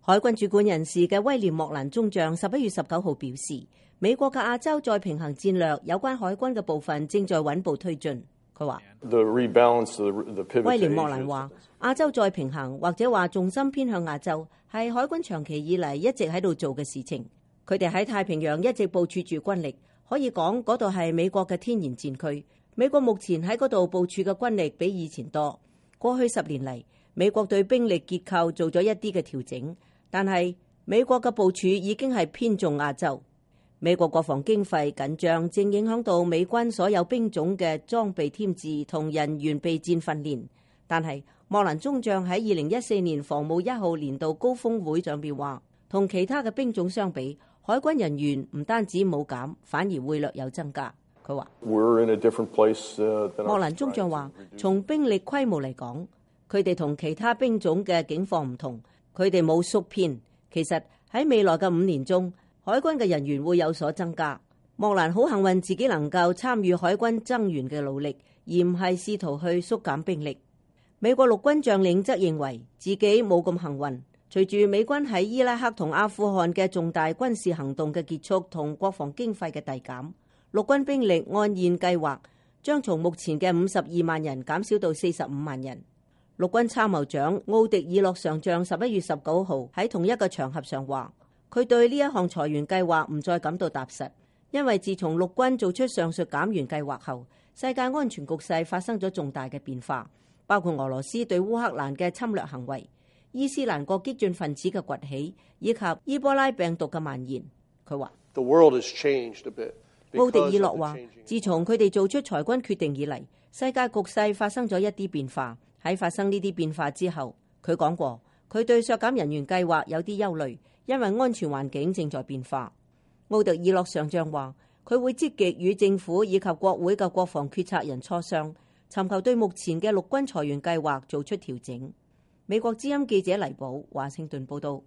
海軍主管人士嘅威廉莫蘭中將11月19號表示，美國嘅亞洲再平衡戰略有關海軍嘅部分正在穩步推進。佢話，威廉莫蘭話，亞洲再平衡或者話重心偏向亞洲係海軍長期以嚟一直喺度做嘅事情。佢哋喺太平洋一直部署住軍力，可以講嗰度係美國嘅天然戰區。美國目前喺嗰度部署嘅軍力比以前多。過去10年嚟，美國對兵力結構做咗一啲嘅調整，但係美國嘅部署已經係偏重亞洲。美國國防經費緊張正影響到美軍所有兵種嘅裝備添置同人員備戰訓練。但係莫蘭中將喺2014年防務1號年度高峰會上邊話，同其他嘅兵種相比，海軍人員唔單止冇減，反而會略有增加。佢話，莫蘭中將話，從兵力規模嚟講，佢哋同其他兵種嘅境況唔同，佢哋冇縮編。其實喺未來嘅5年中，海軍嘅人員會有所增加。莫蘭好幸運自己能夠參與海軍增員嘅努力，而唔係試圖去縮減兵力。美國陸軍將領則認為自己冇咁幸運。隨住美軍喺伊拉克同阿富汗嘅重大軍事行動嘅結束同國防經費嘅遞減，陸軍兵力按現計劃將從目前嘅52萬人減少到45萬人。陸軍參謀長奧迪爾洛上將11月19號喺同一個場合上話，佢對呢一項裁員計劃唔再感到踏實，因為自從陸軍做出上述減員計劃後，世界安全局勢發生咗重大嘅變化，包括俄羅斯對烏克蘭嘅侵略行為、伊斯蘭國激進分子嘅崛起以及伊波拉病毒嘅蔓延。佢話，奧迪爾洛話，自從佢哋做出裁軍決定以嚟，世界局勢發生咗一啲變化。喺發生呢啲變化之後，佢講過，佢對削減人員計劃有啲憂慮，因為安全環境正在變化。奧迪爾洛上將話，佢會積極與政府以及國會嘅國防決策人磋商，尋求對目前嘅陸軍裁員計劃做出調整。美國之音記者黎寶華盛頓報道。